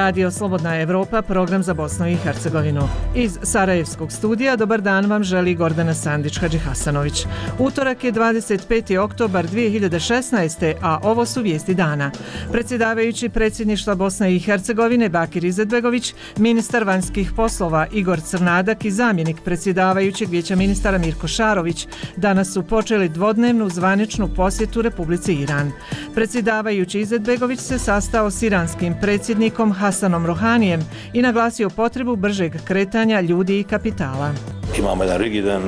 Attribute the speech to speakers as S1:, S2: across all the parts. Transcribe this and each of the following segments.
S1: Radio Slobodna Evropa, program za Bosnu i Hercegovinu. Iz Sarajevskog studija dobar dan vam želi Gordana Sandić-Hadžihasanović. Utorak je 25. oktobar 2016. a ovo su vijesti dana. Predsjedavajući predsjedništva Bosne i Hercegovine Bakir Izetbegović, ministar vanjskih poslova Igor Crnadak i zamjenik predsjedavajućeg vijeća ministara Mirko Šarović danas su počeli dvodnevnu zvaničnu posjetu Republici Iran. Predsjedavajući Izetbegović se sastao s iranskim predsjednikom Hasanom Rohanijem i naglasio potrebu bržeg kretanja ljudi i kapitala.
S2: Imamo jedan rigidan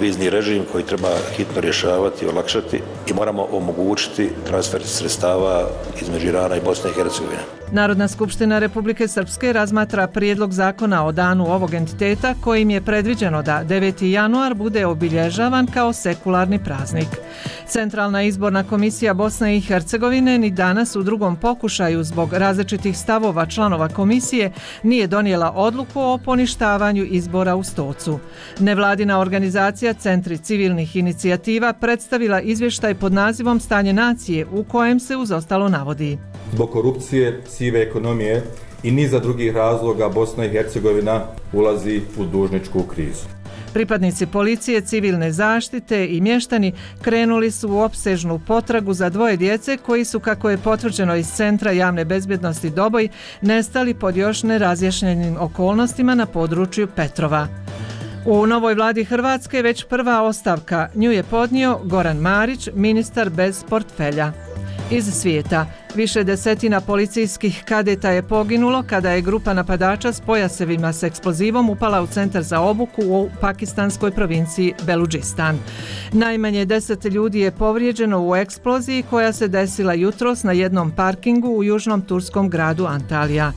S2: vizni režim koji treba hitno rješavati, olakšati i moramo omogućiti transfer sredstava između Irana i Bosne i Hercegovine.
S1: Narodna skupština Republike Srpske razmatra prijedlog zakona o danu ovog entiteta kojim je predviđeno da 9. januar bude obilježavan kao sekularni praznik. Centralna izborna komisija Bosne i Hercegovine ni danas u drugom pokušaju zbog različitih stavova članova komisije nije donijela odluku o poništavanju izbora u Stocu. Nevladina organizacija Centri civilnih inicijativa predstavila izvještaj pod nazivom Stanje nacije u kojem se uz ostalo navodi:
S3: zbog korupcije, sive ekonomije i niza drugih razloga Bosna i Hercegovina ulazi u dužničku krizu.
S1: Pripadnici policije, civilne zaštite i mještani krenuli su u opsežnu potragu za dvoje djece koji su, kako je potvrđeno iz Centra javne bezbjednosti Doboj, nestali pod još nerazjašnjenim okolnostima na području Petrova. U novoj vladi Hrvatske već prva ostavka, nju je podnio Goran Marić, ministar bez portfelja. Iz svijeta, više desetina policijskih kadeta je poginulo kada je grupa napadača s pojasevima s eksplozivom upala u centar za obuku u pakistanskoj provinciji Beludžistan. Najmanje 10 ljudi je povrijeđeno u eksploziji koja se desila jutros na jednom parkingu u južnom turskom gradu Antalija.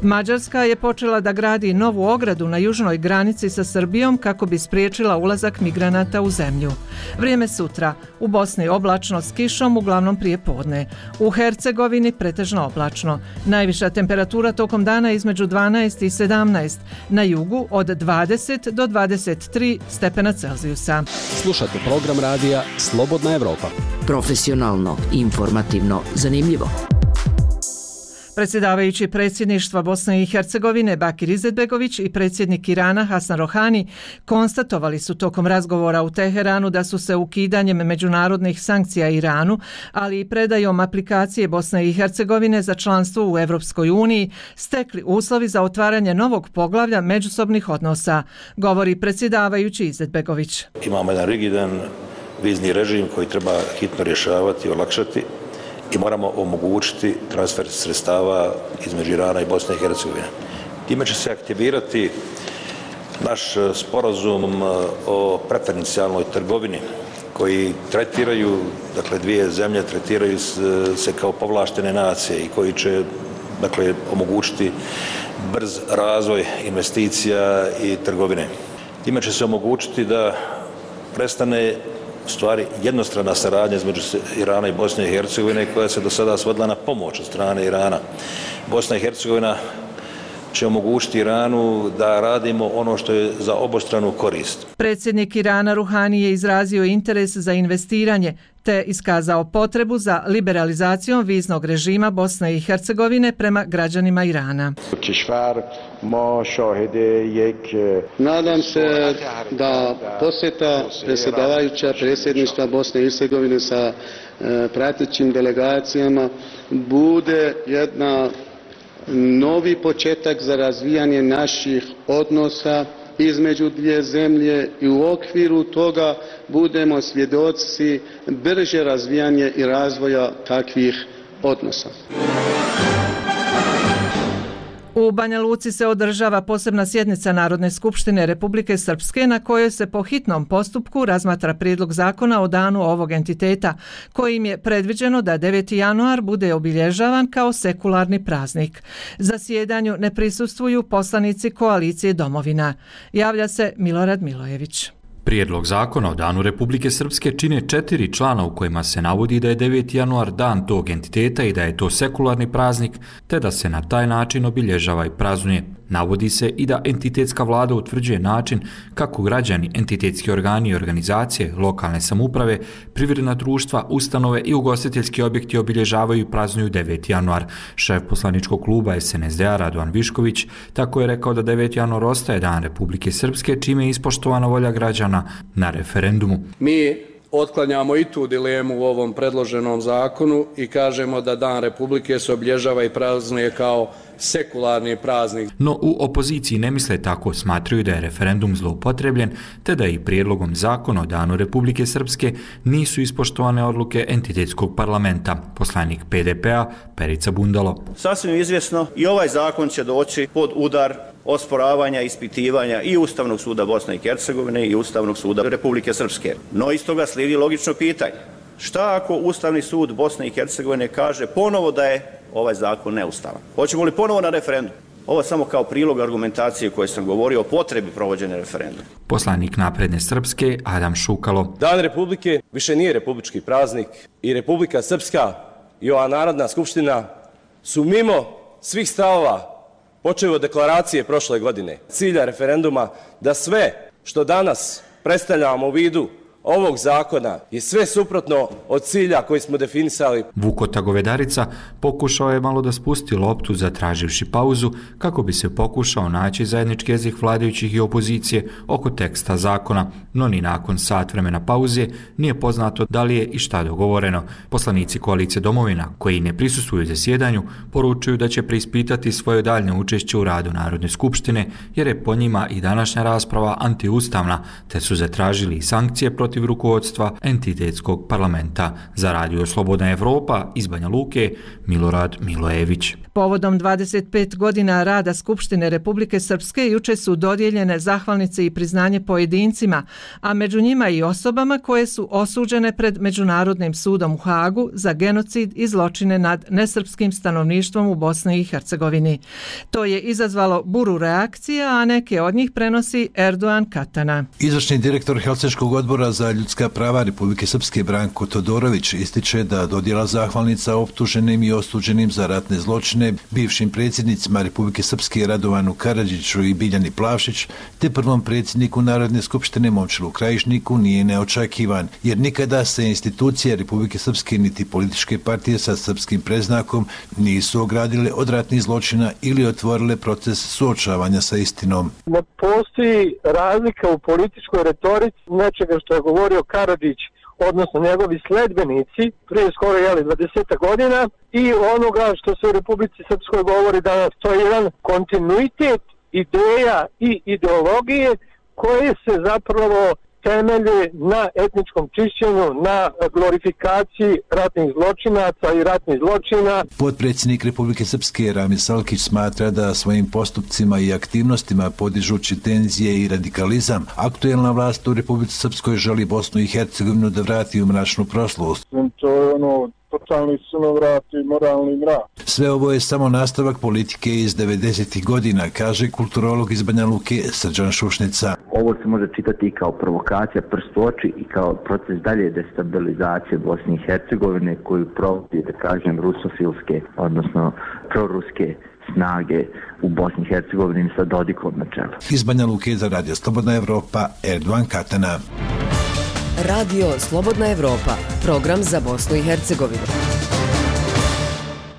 S1: Mađarska je počela da gradi novu ogradu na južnoj granici sa Srbijom kako bi spriječila ulazak migranata u zemlju. Vrijeme sutra, u Bosni oblačno s kišom, uglavnom prije podne. U Hercegovini pretežno oblačno. Najviša temperatura tokom dana između 12 i 17, na jugu od 20 do 23 stepena Celzijusa.
S4: Slušate program radija Slobodna Evropa.
S5: Profesionalno, informativno, zanimljivo.
S1: Predsjedavajući predsjedništva Bosne i Hercegovine Bakir Izetbegović i predsjednik Irana Hasan Rohani konstatovali su tokom razgovora u Teheranu da su se ukidanjem međunarodnih sankcija Iranu, ali i predajom aplikacije Bosne i Hercegovine za članstvo u Europskoj uniji stekli uslovi za otvaranje novog poglavlja međusobnih odnosa, govori predsjedavajući Izetbegović.
S2: Imamo jedan rigidan vizni režim koji treba hitno rješavati, olakšati i moramo omogućiti transfer sredstava između Irana i Bosne i Hercegovine. Time će se aktivirati naš sporazum o preferencijalnoj trgovini koji tretiraju, dakle dvije zemlje tretiraju se kao povlaštene nacije i koji će, dakle, omogućiti brz razvoj investicija i trgovine. Time će se omogućiti da prestane stvari jednostrana saradnja između Irana i Bosne i Hercegovine koja se do sada svodila na pomoć od strane Irana. Bosna i Hercegovina će omogućiti Iranu da radimo ono što je za obostranu korist.
S1: Predsjednik Irana Ruhani je izrazio interes za investiranje te iskazao potrebu za liberalizacijom viznog režima Bosne i Hercegovine prema građanima Irana.
S6: Nadam se da posjeta predsjedavajuća predsjedništva Bosne i Hercegovine sa pratećim delegacijama bude jedna novi početak za razvijanje naših odnosa između dvije zemlje i u okviru toga budemo svjedoci brže razvijanje i razvoja takvih odnosa.
S1: U Banja Luci se održava posebna sjednica Narodne skupštine Republike Srpske na kojoj se po hitnom postupku razmatra prijedlog zakona o danu ovog entiteta, kojim je predviđeno da 9. januar bude obilježavan kao sekularni praznik. Zasjedanju ne prisustvuju poslanici koalicije Domovina. Javlja se Milorad Milojević.
S7: Prijedlog zakona o danu Republike Srpske čine 4 člana u kojima se navodi da je 9. januar dan tog entiteta i da je to sekularni praznik, te da se na taj način obilježava i praznuje. Navodi se i da entitetska vlada utvrđuje način kako građani, entitetski organi i organizacije, lokalne samouprave, privredna društva, ustanove i ugostiteljski objekti obilježavaju i praznuju 9. januar. Šef poslaničkog kluba SNSD-a Radovan Višković tako je rekao da 9. januar ostaje Dan Republike Srpske, čime je ispoštovana volja građana na referendumu.
S8: Mi otklanjamo i tu dilemu u ovom predloženom zakonu i kažemo da Dan Republike se obilježava i praznuje kao sekularni praznik.
S7: No u opoziciji ne misle tako, smatraju da je referendum zloupotrebljen, te da i prijedlogom zakona o Danu Republike Srpske nisu ispoštovane odluke entitetskog parlamenta. Poslanik PDP-a Perica Bundalo.
S9: Sasvim izvjesno i ovaj zakon će doći pod udar osporavanja, ispitivanja i Ustavnog suda Bosne i Hercegovine i Ustavnog suda Republike Srpske. No iz toga slijedi logično pitanje. Šta ako Ustavni sud Bosne i Hercegovine kaže ponovo da je ovaj zakon neustavan? Hoćemo li ponovo na referendum? Ovo samo kao prilog argumentacije koje sam govorio o potrebi provođenja referenduma.
S7: Poslanik Napredne Srpske Adam Šukalo.
S10: Dan Republike više nije republički praznik i Republika Srpska i ova Narodna skupština su mimo svih stavova, počev od deklaracije prošle godine, cilja referenduma da sve što danas predstavljamo u vidu ovog zakona je sve suprotno od cilja koji smo definisali.
S7: Vukota Govedarica pokušao je malo da spusti loptu zatraživši pauzu kako bi se pokušao naći zajednički jezik vladajućih i opozicije oko teksta zakona, no ni nakon sat vremena pauze nije poznato da li je i šta dogovoreno. Poslanici koalicije Domovina, koji ne prisustvuju zasjedanju, poručuju da će preispitati svoje daljnje učešće u radu Narodne skupštine, jer je po njima i današnja rasprava antiustavna, te su zatražili i sankcije protiv rukovodstva entitetskog parlamenta. Za Radio Slobodna Evropa iz Banja Luke, Milorad Milojević.
S1: Povodom 25 godina rada Skupštine Republike Srpske juče su dodijeljene zahvalnice i priznanje pojedincima, a među njima i osobama koje su osuđene pred Međunarodnim sudom u Hagu za genocid i zločine nad nesrpskim stanovništvom u Bosni i Hercegovini. To je izazvalo buru reakcija, a neke od njih prenosi Erdogan Katana.
S11: Izvršni direktor Helsinškog odbora za ljudska prava Republike Srpske Branko Todorović ističe da dodjela zahvalnica optuženim i osuđenim za ratne zločine bivšim predsjednicima Republike Srpske Radovanu Karadžiću i Biljani Plavšić te prvom predsjedniku Narodne skupštine Momčilu Krajišniku nije neočekivan, jer nikada se institucije Republike Srpske niti političke partije sa srpskim predznakom nisu ogradile od ratnih zločina ili otvorile proces suočavanja sa istinom.
S12: Ne postoji razlika u političkoj retorici nečega što je govorio Karadžić, odnosno njegovi sledbenici, prije skoro 20 godina, i onoga što se u Republici Srpskoj govori danas. To je jedan kontinuitet ideja i ideologije koje se zapravo temelje na etničkom čišćenju, na glorifikaciji ratnih zločinaca i ratnih zločina.
S11: Potpredsjednik Republike Srpske Ramil Salkić smatra da svojim postupcima i aktivnostima podižući tenzije i radikalizam, aktuelna vlast u Republici Srpskoj želi Bosnu i Hercegovinu da vrati u mračnu prošlost.
S12: To je totalni sunovrat i moralni mrak.
S11: Sve ovo je samo nastavak politike iz 90. godina, kaže kulturolog iz Banja Luke Srđan Šušnica.
S13: Ovo se može čitati i kao provokacija prst u oči i kao proces dalje destabilizacije Bosne i Hercegovine koju provodi, da kažem, rusofilske, odnosno proruske snage u Bosni i Hercegovini sa Dodikom na čelu.
S11: Iz Banja Luke za Radio Slobodna Evropa, Erdogan Katana.
S14: Radio Slobodna Evropa, program za Bosnu i Hercegovinu.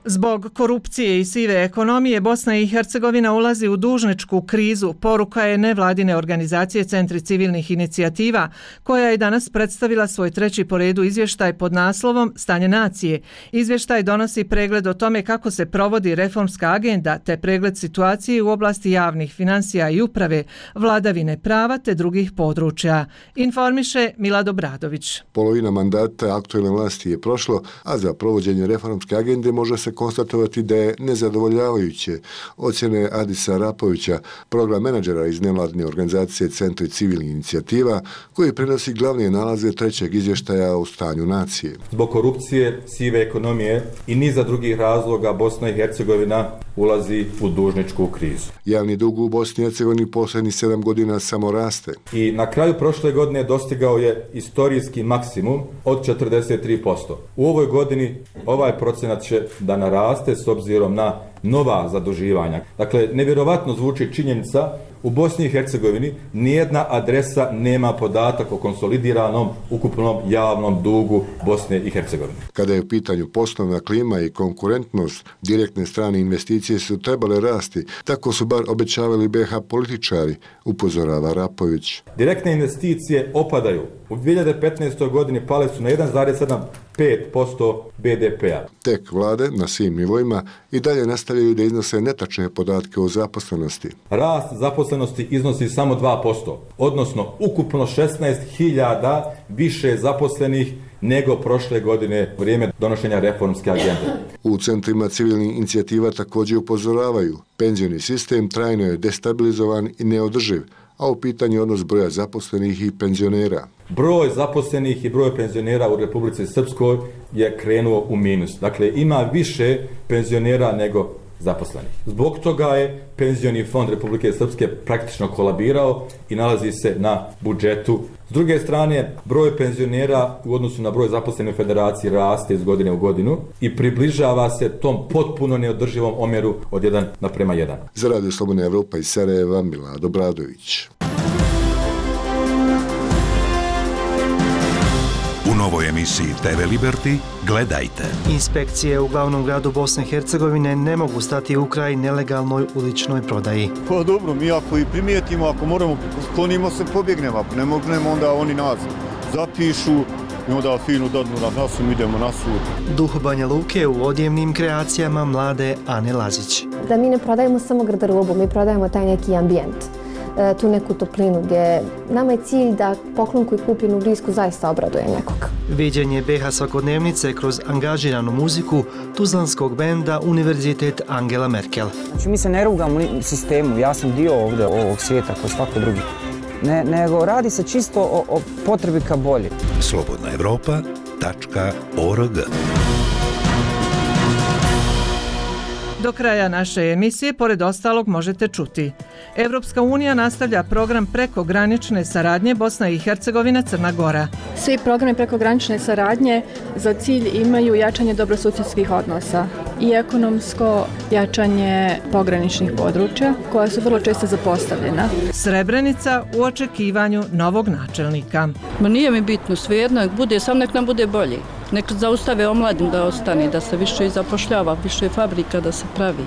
S1: Zbog korupcije i sive ekonomije Bosna i Hercegovina ulazi u dužničku krizu. Poruka je nevladine organizacije Centri civilnih inicijativa, koja je danas predstavila svoj treći po redu izvještaj pod naslovom Stanje nacije. Izvještaj donosi pregled o tome kako se provodi reformska agenda te pregled situacije u oblasti javnih finansija i uprave, vladavine prava te drugih područja. Informiše Milado Bradović.
S15: Polovina mandata aktuelne vlasti je prošlo, a za provođenje reformske agende može se konstatovati da je nezadovoljavajuće ocjene Adisa Rapovića, program menadžera iz nevladine organizacije Centri civilnih inicijativa, koji prenosi glavne nalaze trećeg izvještaja o stanju nacije.
S3: Zbog korupcije, sive ekonomije i niza drugih razloga Bosna i Hercegovina ulazi u dužničku krizu.
S15: Javni dug u Bosni i Hercegovini posljednjih 7 godina samo raste.
S3: I na kraju prošle godine dostigao je istorijski maksimum od 43%. U ovoj godini ovaj procenat će da naraste s obzirom na nova zaduživanja. Dakle, nevjerovatno zvuči činjenica u Bosni i Hercegovini nijedna adresa nema podatak o konsolidiranom ukupnom javnom dugu Bosne i Hercegovine.
S15: Kada je u pitanju poslovna klima i konkurentnost, direktne strane investicije su trebale rasti, tako su bar obećavali BiH političari, upozorava Rapović.
S3: Direktne investicije opadaju. U 2015. godini pale su na 1,75% BDP-a.
S15: Tek vlade na svim nivoima i dalje nastavljaju da iznose netačne podatke o zaposlenosti.
S3: Rast zaposlenosti iznosi samo 2%, odnosno ukupno 16.000 više zaposlenih nego prošle godine u vrijeme donošenja reformske agende.
S15: U centrima civilnih inicijativa također upozoravaju, penzioni sistem trajno je destabilizovan i neodrživ, a u pitanju odnos broja zaposlenih i penzionera.
S3: Broj zaposlenih i broj penzionera u Republici Srpskoj je krenuo u minus. Dakle, ima više penzionera nego zaposlenih. Zbog toga je penzioni fond Republike Srpske praktično kolabirao i nalazi se na budžetu. S druge strane, broj penzionera u odnosu na broj zaposlenih u federaciji raste iz godine u godinu i približava se tom potpuno neodrživom omjeru od 1:1.
S15: Za Radio Slobodna Evropa iz Sarajeva, Milado Bradović.
S16: U novoj emisiji TV Liberty gledajte.
S17: Inspekcije u glavnom gradu Bosne i Hercegovine ne mogu stati u kraj nelegalnoj uličnoj prodaji.
S18: Pa dobro, mi ako i primijetimo, ako moramo, sklonimo se, pobjegnemo. Ako ne mognemo, onda oni nas zapišu i onda finu dadnu na nasu, idemo na sud.
S17: Duh Banja Luke u odjevnim kreacijama mlade Ane Lazić.
S19: Da mi ne prodajemo samo garderobu, mi prodajemo taj neki ambijent. Tu neku toplinu gdje nama je cilj da poklon koji kupi u blisku zaista obraduje nekog.
S17: Viđenje BiH svakodnevnice kroz angažiranu muziku tuzlanskog benda Univerzitet Angela Merkel.
S20: Znači mi se ne rugamo sistemu, ja sam dio ovdje ovog svijeta kao svako drugi. Nego radi se čisto o potrebi ka bolje.
S16: slobodnaevropa.org.
S1: Do kraja naše emisije, pored ostalog, možete čuti. Evropska unija nastavlja program prekogranične saradnje Bosna i Hercegovina, Crna Gora.
S21: Svi programi prekogranične saradnje za cilj imaju jačanje dobrosusjedskih odnosa i ekonomsko jačanje pograničnih područja koja su vrlo često zapostavljena.
S1: Srebrenica u očekivanju novog načelnika.
S22: Ma nije mi bitno, svejedno, nek nam bude bolje. Nek zaustave omladim da ostane, da se više zapošljava, više fabrika da se pravi.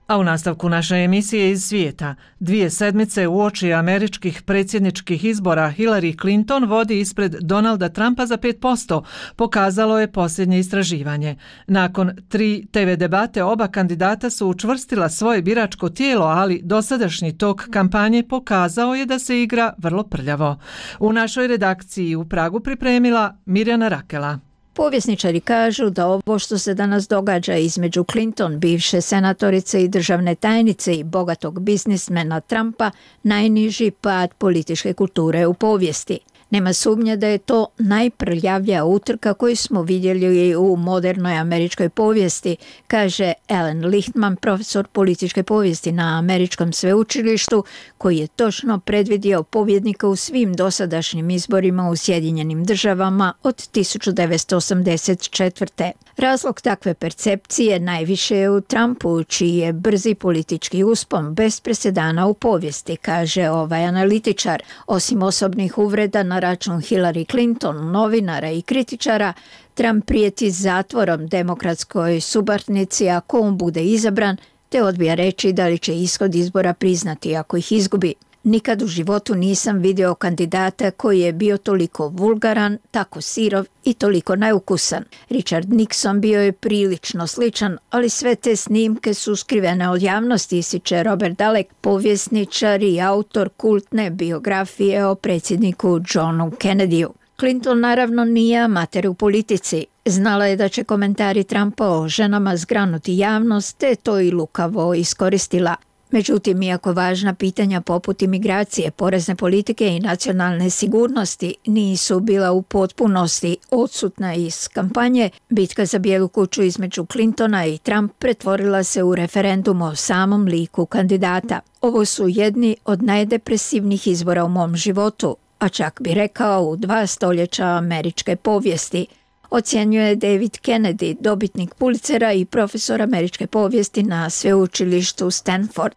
S1: A u nastavku naše emisije iz svijeta, 2 sedmice uoči američkih predsjedničkih izbora Hillary Clinton vodi ispred Donalda Trumpa za 5%, pokazalo je posljednje istraživanje. Nakon 3 TV debate oba kandidata su učvrstila svoje biračko tijelo, ali dosadašnji tok kampanje pokazao je da se igra vrlo prljavo. U našoj redakciji u Pragu pripremila Mirjana Rakela.
S23: Povjesničari kažu da ovo što se danas događa između Clinton, bivše senatorice i državne tajnice i bogatog biznismena Trumpa, najniži pad političke kulture u povijesti. Nema sumnje da je to najprljavlja utrka koju smo vidjeli u modernoj američkoj povijesti, kaže Alan Lichtman, profesor političke povijesti na američkom sveučilištu, koji je točno predvidio pobjednika u svim dosadašnjim izborima u Sjedinjenim državama od 1984. Razlog takve percepcije najviše je u Trumpu, čiji je brzi politički uspon bez presedana u povijesti, kaže ovaj analitičar. Osim osobnih uvreda na račun Hillary Clinton, novinara i kritičara, Trump prijeti zatvorom demokratskoj suparnici ako on bude izabran, te odbija reći da li će ishod izbora priznati ako ih izgubi. Nikad u životu nisam vidio kandidata koji je bio toliko vulgaran, tako sirov i toliko neukusan. Richard Nixon bio je prilično sličan, ali sve te snimke su skrivene od javnosti, ističe Robert Dalek, povjesničar i autor kultne biografije o predsjedniku Johnu Kennedyu. Clinton naravno nije amater u politici. Znala je da će komentari Trumpa o ženama zgranuti javnost, te to i lukavo iskoristila. Međutim, iako važna pitanja poput imigracije, porezne politike i nacionalne sigurnosti nisu bila u potpunosti odsutna iz kampanje, bitka za Bijelu kuću između Clintona i Trump pretvorila se u referendum o samom liku kandidata. Ovo su jedni od najdepresivnijih izbora u mom životu, a čak bi rekao u 2 stoljeća američke povijesti. ocjenjuje David Kennedy, dobitnik Pulitzera i profesor američke povijesti na sveučilištu Stanford.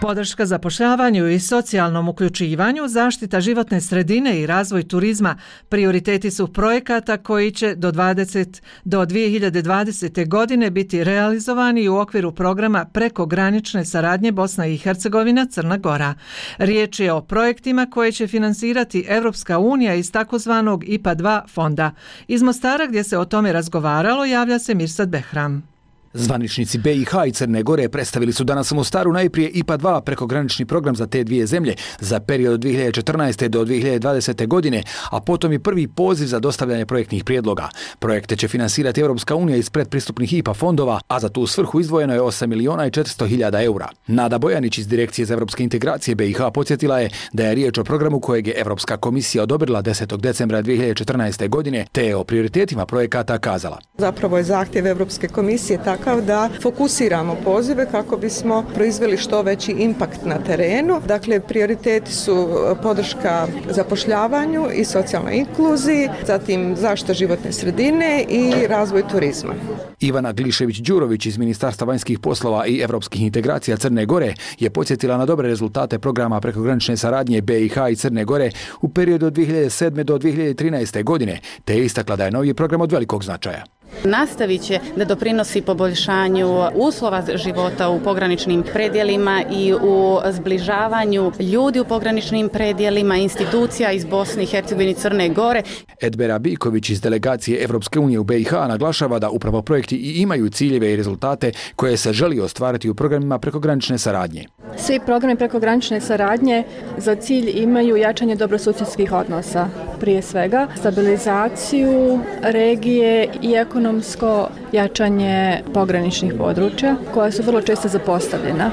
S1: Podrška zapošljavanju i socijalnom uključivanju, zaštita životne sredine i razvoj turizma prioriteti su projekata koji će do 2020. godine biti realizovani u okviru programa prekogranične saradnje Bosna i Hercegovina Crna Gora. Riječ je o projektima koje će finansirati Evropska unija iz takozvanog IPA 2 fonda. Iz Mostara gdje se o tome razgovaralo javlja se Mirsad Behram.
S2: Zvaničnici BiH i Crne Gore predstavili su danas u Mostaru najprije IPA 2 prekogranični program za te dvije zemlje za period od 2014. do 2020. godine, a potom i prvi poziv za dostavljanje projektnih prijedloga. Projekte će finansirati Europska unija iz predpristupnih IPA fondova, a za tu svrhu izdvojeno je 8.400.000 eura. Nada Bojanić iz Direkcije za evropske integracije BiH podsjetila je da je riječ o programu kojeg je Evropska komisija odobrila 10. decembra 2014. godine, te je o prioritetima projekata kazala.
S4: Zapravo je zahtjev Evropske komisije takav da fokusiramo pozive kako bismo proizveli što veći impakt na terenu. Dakle, prioriteti su podrška zapošljavanju i socijalnoj inkluziji, zatim zaštita životne sredine i razvoj turizma.
S2: Ivana Glišević-Đurović iz Ministarstva vanjskih poslova i evropskih integracija Crne Gore je podsjetila na dobre rezultate programa prekogranične saradnje BiH i Crne Gore u periodu od 2007. do 2013. godine, te je istakla da je novi program od velikog značaja.
S5: Nastavit će da doprinosi poboljšanju uslova života u pograničnim predjelima i u zbližavanju ljudi u pograničnim predjelima, institucija iz Bosne i Hercegovine i Crne Gore.
S2: Edbera Biković iz delegacije Evropske unije u BiH naglašava da upravo projekti i imaju ciljeve i rezultate koje se želi ostvariti u programima prekogranične saradnje.
S21: Svi programi prekogranične saradnje za cilj imaju jačanje dobrosusjedskih odnosa, prije svega stabilizaciju regije i ekonomsko jačanje pograničnih područja koja su vrlo često zapostavljena.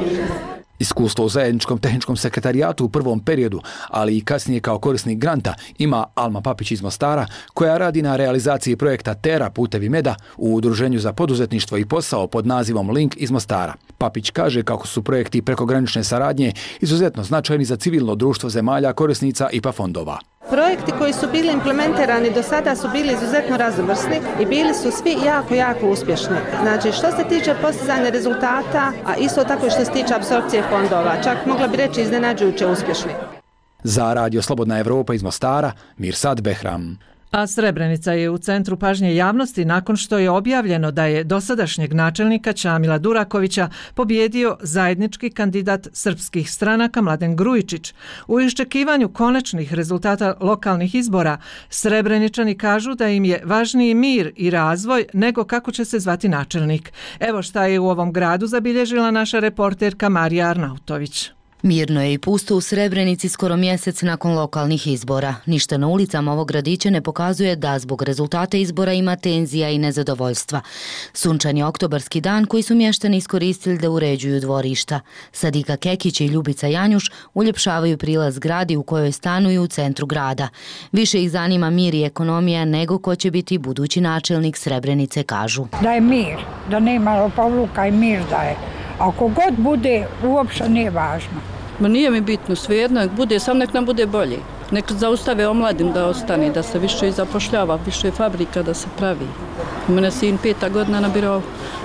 S2: Iskustvo u zajedničkom tehničkom sekretarijatu u prvom periodu, ali i kasnije kao korisnik granta, ima Alma Papić iz Mostara, koja radi na realizaciji projekta Tera Putevi meda u Udruženju za poduzetništvo i posao pod nazivom Link iz Mostara. Papić kaže kako su projekti prekogranične saradnje izuzetno značajni za civilno društvo zemalja korisnica IPA fondova.
S24: Projekti koji su bili implementirani do sada su bili izuzetno raznovrsni i bili su svi jako uspješni. Znači, što se tiče postizanja rezultata, a isto tako i što se tiče apsorpcije fondova, čak mogla bi reći iznenađujuće uspješni.
S2: Za Radio Slobodna Evropa iz Mostara, Mirsad Behram.
S1: A Srebrenica je u centru pažnje javnosti nakon što je objavljeno da je dosadašnjeg načelnika Čamila Durakovića pobjedio zajednički kandidat srpskih stranaka Mladen Grujičić. U iščekivanju konačnih rezultata lokalnih izbora, Srebreničani kažu da im je važniji mir i razvoj nego kako će se zvati načelnik. Evo šta je u ovom gradu zabilježila naša reporterka Marija Arnautović.
S25: Mirno je i pusto u Srebrenici skoro mjesec nakon lokalnih izbora. Ništa na ulicama ovog gradića ne pokazuje da zbog rezultata izbora ima tenzija i nezadovoljstva. Sunčan je oktobarski dan koji su mještani iskoristili da uređuju dvorišta. Sadika Kekić i Ljubica Janjuš uljepšavaju prilaz gradi u kojoj stanuju u centru grada. Više ih zanima mir i ekonomija nego ko će biti budući načelnik Srebrenice, kažu.
S26: Da je mir, da nema lopovluka i mir da je. Ako god bude, uopšte nije važno.
S22: Ma nije mi bitno, svejedno, nek bude, sam nek nam bude bolji. Nek zaustave omladim da ostane, da se više zapošljava, više fabrika da se pravi. U mene sin 5. godina nabirao,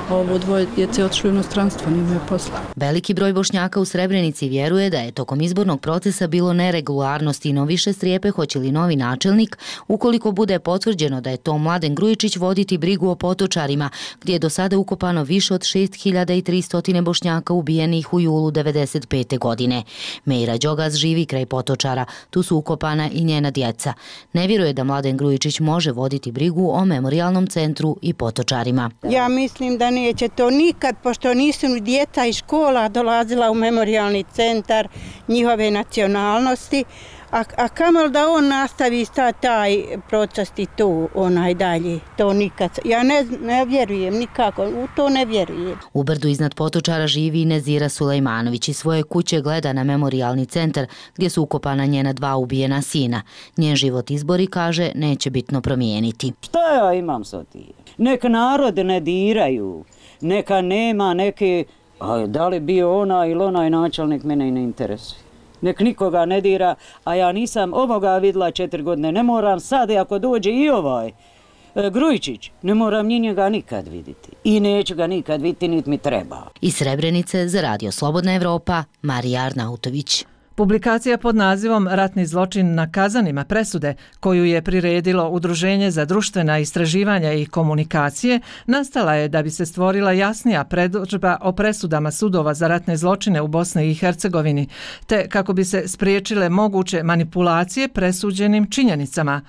S22: ovo dvoje djece otišli u inostranstvo, nimaju posla.
S25: Veliki broj Bošnjaka u Srebrenici vjeruje da je tokom izbornog procesa bilo neregularnosti, no više strijepe hoće li novi načelnik, ukoliko bude potvrđeno da je to Mladen Grujičić, voditi brigu o Potočarima, gdje je do sada ukopano više od 6.300 Bošnjaka ubijenih u julu 1995. godine. Mejra Đogaz živi kraj Potočara, tu su ukopana i njena djeca. Ne vjeruje da Mladen Grujičić može voditi brigu o memorijalnom centru i Potočarima.
S27: Ja mislim da neće to nikad, pošto nisu ni djeca iz škola dolazila u memorijalni centar njihove nacionalnosti, a kamol da on nastavi taj proces i to dalje, to nikad. Ja ne vjerujem nikako, u to ne vjerujem.
S25: U brdu iznad Potočara živi Nezira Sulejmanović i svoje kuće gleda na memorijalni centar gdje su ukopana njena 2 ubijena sina. Njen život izbori, kaže, neće bitno promijeniti.
S28: Šta ja imam sa tim? Neka narod ne diraju, neka nema neke, da li bio ona ili onaj načelnik, mene i ne interesuje. nek nikoga ne dira, a ja nisam ovoga vidjela 4 godine, ne moram sad, ako dođe i ovaj Grujičić, ne moram ni njega nikad vidjeti i neću ga nikad vidjeti, niti mi treba.
S25: Iz Srebrenice za Radio Slobodna Evropa, Marija Arnautović.
S1: Publikacija pod nazivom Ratni zločin na Kazanima presude, koju je priredilo Udruženje za društvena istraživanja i komunikacije, nastala je da bi se stvorila jasnija predodžba o presudama sudova za ratne zločine u Bosni i Hercegovini, te kako bi se spriječile moguće manipulacije presuđenim činjenicama.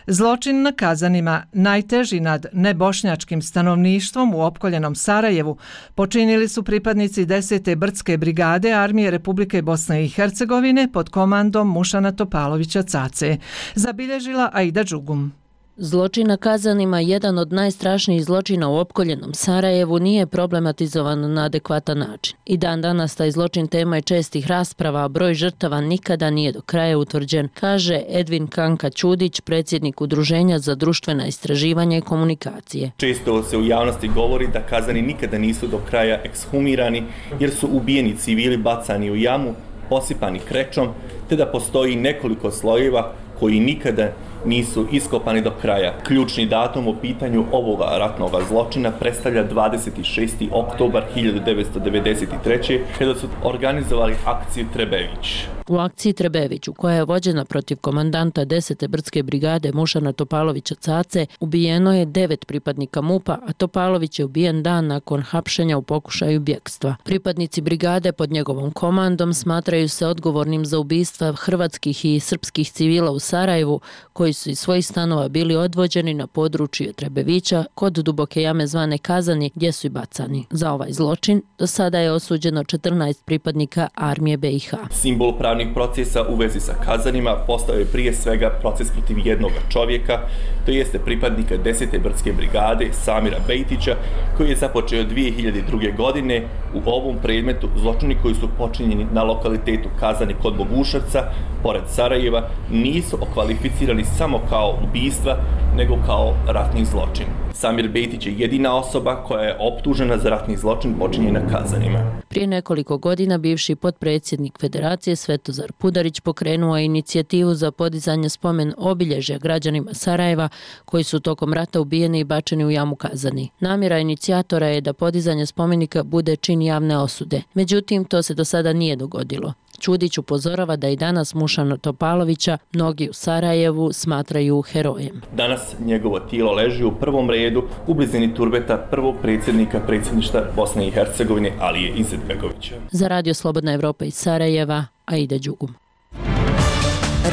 S1: Zločin na Kazanima, najteži nad nebošnjačkim stanovništvom u opkoljenom Sarajevu, počinili su pripadnici 10. Brdske brigade Armije Republike Bosne i Hercegovine pod komandom Mušana Topalovića Cace, zabilježila Aida Đugum.
S6: Zločin na Kazanima, jedan od najstrašnijih zločina u opkoljenom Sarajevu, nije problematizovan na adekvatan način. I dan danas taj zločin tema je čestih rasprava, a broj žrtava nikada nije do kraja utvrđen, kaže Edvin Kanka Ćudić, predsjednik Udruženja za društvena istraživanja i komunikacije.
S7: Često se u javnosti govori da Kazani nikada nisu do kraja ekshumirani jer su ubijeni civili bacani u jamu, posipani krečom, te da postoji nekoliko slojeva koji nikada nisu iskopani do kraja. Ključni datum u pitanju ovoga ratnog zločina predstavlja 26. oktobar 1993. kada su organizovali akciju Trebević.
S6: U akciji Trebević, koja je vođena protiv komandanta 10. Brdske brigade Mušana Topalovića Cace, ubijeno je 9 pripadnika MUP-a, a Topalović je ubijen dan nakon hapšenja u pokušaju bjegstva. Pripadnici brigade pod njegovom komandom smatraju se odgovornim za ubistva hrvatskih i srpskih civila u Sarajevu, koji su iz svojih stanova bili odvođeni na područje Trebevića kod duboke jame zvane Kazani, gdje su i bacani. Za ovaj zločin do sada je osuđeno 14 pripadnika armije BiH.
S7: Simbol pravnih procesa u vezi sa Kazanima postao je prije svega proces protiv jednog čovjeka, to jeste pripadnika 10. Brdske brigade Samira Bejtića, koji je započeo 2002. godine. U ovom predmetu zločini koji su počinjeni na lokalitetu Kazani kod Boguševca, pored Sarajeva, nisu okvalificirani samo kao ubistva, nego kao ratni zločin. Samir Bejtić je jedina osoba koja je optužena za ratni zločin počinjen na Kazanima.
S6: Prije nekoliko godina bivši potpredsjednik Federacije Svetozar Pudarić pokrenuo je inicijativu za podizanje spomen obilježja građanima Sarajeva koji su tokom rata ubijeni i bačeni u jamu Kazani. Namjera inicijatora je da podizanje spomenika bude čin javne osude. Međutim, to se do sada nije dogodilo. Ćudić upozorava da i danas Mušana Topalovića mnogi u Sarajevu smatraju herojem.
S7: Danas njegovo tijelo leži u prvom redu u blizini turbeta prvog predsjednika predsjedništva Bosne i Hercegovine Alije Izetbegovića.
S6: Za Radio Slobodna Evropa iz Sarajeva, Aida Đugum.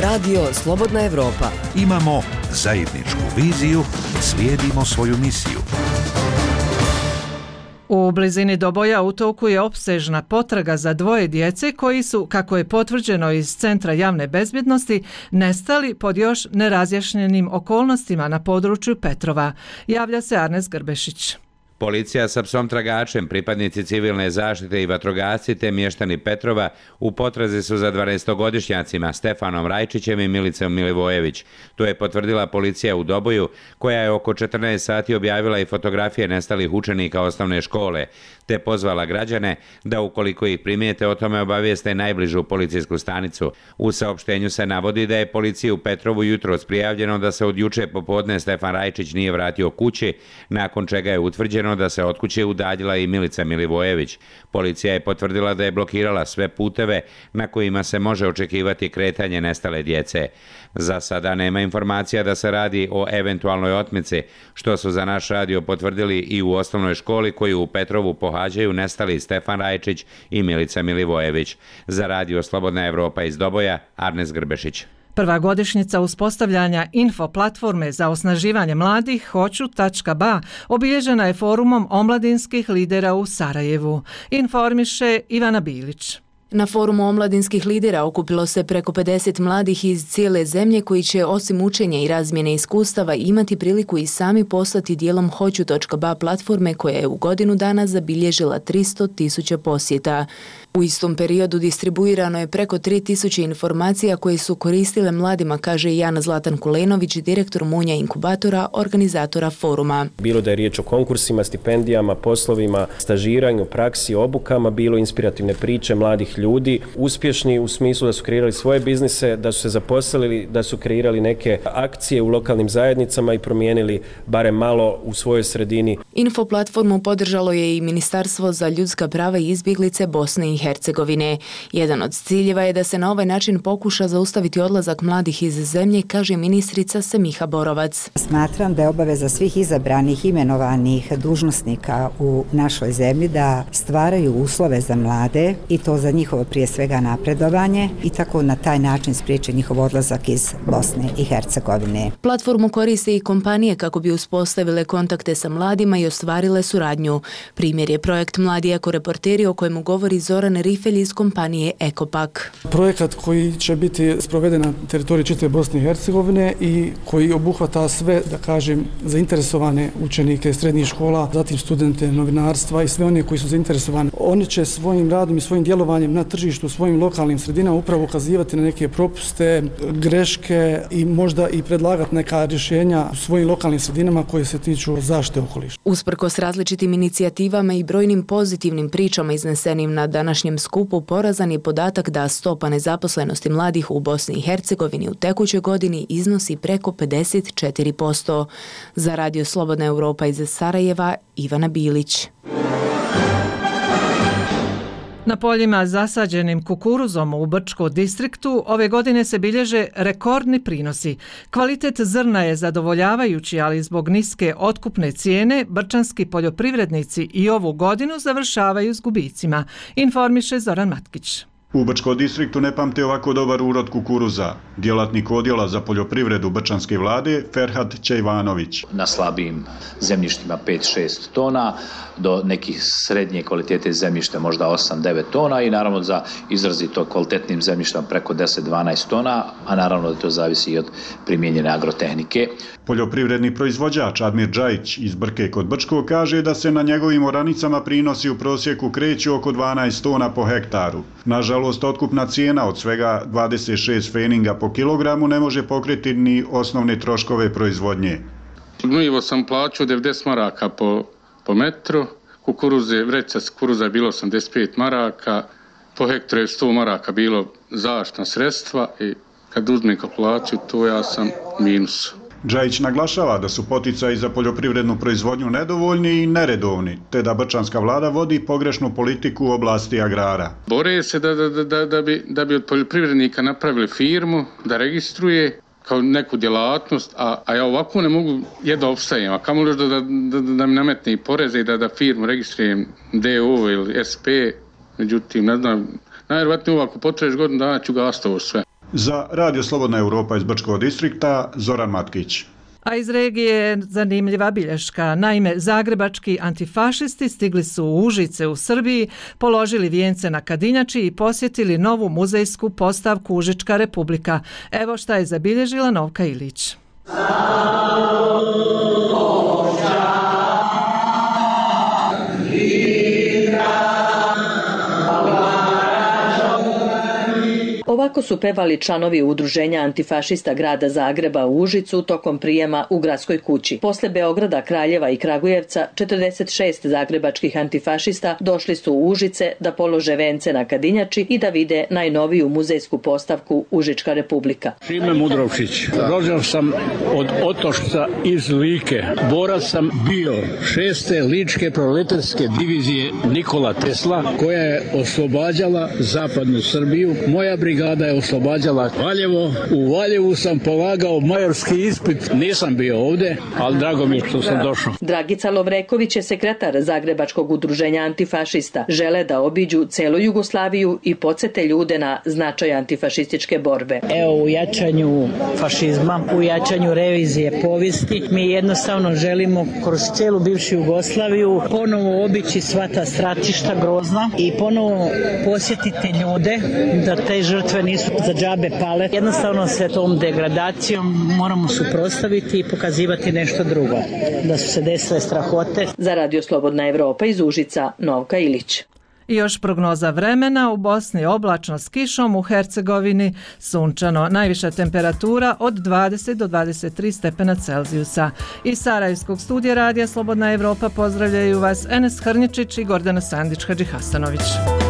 S14: Radio Slobodna Evropa.
S16: Imamo zajedničku viziju, slijedimo svoju misiju.
S1: U blizini Doboja u toku je opsežna potraga za 2 djece koji su, kako je potvrđeno iz Centra javne bezbjednosti, nestali pod još nerazjašnjenim okolnostima na području Petrova. Javlja se Arnes Grbešić.
S8: Policija sa psom tragačem, pripadnici civilne zaštite i vatrogasci te mještani Petrova u potrazi su za 12-godišnjacima Stefanom Rajčićem i Milicom Milivojević. To je potvrdila policija u Doboju, koja je oko 14 sati objavila i fotografije nestalih učenika osnovne škole, te pozvala građane da ukoliko ih primijete o tome obavijeste najbližu policijsku stanicu. U saopštenju se navodi da je policiji u Petrovu jutros prijavljeno da se od juče popodne Stefan Rajčić nije vratio kući, nakon čega je utvrđeno da se od kuće udaljila i Milica Milivojević. Policija je potvrdila da je blokirala sve puteve na kojima se može očekivati kretanje nestale djece. Za sada nema informacija da se radi o eventualnoj otmici, što su za naš radio potvrdili i u osnovnoj školi koju u Petrovu pohađaju nestali Stefan Rajčić i Milica Milivojević. Za Radio Slobodna Evropa iz Doboja, Arnes Grbešić.
S1: Prva godišnjica uspostavljanja info platforme za osnaživanje mladih Hoću.ba obilježena je forumom omladinskih lidera u Sarajevu. Informiše Ivana Bilić.
S9: Na forumu omladinskih lidera okupilo se preko 50 mladih iz cijele zemlje koji će osim učenja i razmjene iskustava imati priliku i sami poslati dijelom Hoću.ba platforme koja je u godinu dana zabilježila 300.000 posjeta. U istom periodu distribuirano je preko 3000 informacija koje su koristile mladima, kaže Jan Zlatan Kulenović, direktor Munja inkubatora, organizatora foruma.
S10: Bilo da je riječ o konkursima, stipendijama, poslovima, stažiranju, praksi, obukama, bilo inspirativne priče mladih
S3: ljudi, uspješni u smislu da su kreirali svoje biznise, da su se zaposlili, da su kreirali neke akcije u lokalnim zajednicama i promijenili barem malo u svojoj sredini.
S9: Info platformu podržalo je i Ministarstvo za ljudska prava i izbjeglice Bosne i Hercegovine. Jedan od ciljeva je da se na ovaj način pokuša zaustaviti odlazak mladih iz zemlje, kaže ministrica Semiha Borovac.
S10: Smatram da je obaveza svih izabranih, imenovanih dužnosnika u našoj zemlji da stvaraju uslove za mlade i to za njihovo prije svega napredovanje i tako na taj način spriječi njihov odlazak iz Bosne i Hercegovine.
S9: Platformu koriste i kompanije kako bi uspostavile kontakte sa mladima i ostvarile suradnju. Primjer je projekt Mladi ekoreporteri o kojemu govori Zoran Rifelj iz kompanije Ekopak.
S11: Projekat koji će biti sproveden na teritoriji čitave Bosne i Hercegovine i koji obuhvata sve, da kažem, zainteresovane učenike srednjih škola, zatim studente novinarstva i sve one koji su zainteresovani. Oni će svojim radom i svojim djelovanjem na tržištu, svojim lokalnim sredinama upravo ukazivati na neke propuste, greške i možda i predlagati neka rješenja u svojim lokalnim sredinama koje se tiču zaštite okoliša.
S9: Usprkos različitim inicijativama i brojnim pozitivnim pričama iznesenim na današnjem skupu, porazan je podatak da stopa nezaposlenosti mladih u Bosni i Hercegovini u tekućoj godini iznosi preko 54%. Za Radio Slobodna Europa iz Sarajeva, Ivana Bilić.
S1: Na poljima zasađenim kukuruzom u Brčkom distriktu ove godine se bilježe rekordni prinosi. Kvalitet zrna je zadovoljavajući, ali zbog niske otkupne cijene brčanski poljoprivrednici i ovu godinu završavaju s gubicima, informiše Zoran Matkić.
S12: U Brčkom distriktu ne pamte ovako dobar urod kukuruza. Djelatnik odjela za poljoprivredu brčanske vlade Ferhat Čejvanović.
S13: Na slabijim zemljištima 5-6 tona, do nekih srednje kvalitete zemljišta možda 8-9 tona i naravno za izrazito kvalitetnim zemljištima preko 10-12 tona, a naravno da to zavisi i od primijenjene agrotehnike.
S12: Poljoprivredni proizvođač Admir Džajić iz Brke kod Brčkog kaže da se na njegovim oranicama prinosi u prosjeku kreću oko 12 tona po hektaru. Nažalost, otkupna cijena od svega 26 feninga po kilogramu ne može pokriti ni osnovne troškove proizvodnje.
S15: Gnojivo sam plaćao 90 maraka po metru, vreća kukuruza je bilo 85 maraka, po hektaru je 100 maraka bilo zaštitna sredstva i kad uzmem kalkulaciju, to ja sam minus.
S12: Džajić naglašava da su poticaji za poljoprivrednu proizvodnju nedovoljni i neredovni, te da brčanska vlada vodi pogrešnu politiku u oblasti agrara.
S15: Bore se da bi od poljoprivrednika napravili firmu, da registruje kao neku djelatnost, a ja ovako ne mogu jedva opstajem, a kamo li da mi nametne i poreze i da firmu registrujem DO ili SP, međutim, ne znam, najvjerojatnije ako potreš godinu dana ću gasiti ovo sve.
S12: Za Radio Slobodna Europa iz Brčkog distrikta, Zoran Matkić.
S1: A iz regije je zanimljiva bilješka. Naime, zagrebački antifašisti stigli su u Užice u Srbiji, položili vijence na Kadinjači i posjetili novu muzejsku postavku Užička republika. Evo šta je zabilježila Novka Ilić.
S18: Ovako su pevali članovi udruženja antifašista grada Zagreba u Užicu tokom prijema u gradskoj kući. Posle Beograda, Kraljeva i Kragujevca, 46 zagrebačkih antifašista došli su u Užice da polože vence na Kadinjači i da vide najnoviju muzejsku postavku Užička republika.
S19: Šime Mudrovčić. Rođen sam od Otošca iz Like. Borac sam bio 6. ličke proletarske divizije Nikola Tesla, koja je oslobađala zapadnu Srbiju. Moja brigada je oslobađala Valjevo. U Valjevu sam polagao majorski ispit. Nisam bio ovdje, ali drago mi je što sam došao.
S18: Dragica Lovreković je sekretar Zagrebačkog udruženja antifašista. Žele da obiđu celu Jugoslaviju i podsjete ljude na značaj antifašističke borbe.
S29: Evo, u jačanju fašizma, u jačanju revizije povijesti, mi jednostavno želimo kroz cijelu bivšu Jugoslaviju ponovo obići sva ta stratišta grozna i ponovo posjetiti ljude da te žrtve nisu za džabe pale. Jednostavno se tom degradacijom moramo suprotstaviti i pokazivati nešto drugo. Da su se desile strahote.
S18: Za Radio Slobodna Evropa iz Užica, Novka Ilić.
S1: I još prognoza vremena, u Bosni oblačno s kišom, u Hercegovini sunčano. Najviša temperatura od 20 do 23 stepena Celzijusa. Iz Sarajevskog studija Radija Slobodna Evropa pozdravljaju vas Enes Hrnjičić i Gordana Sandić-Hadžihasanović.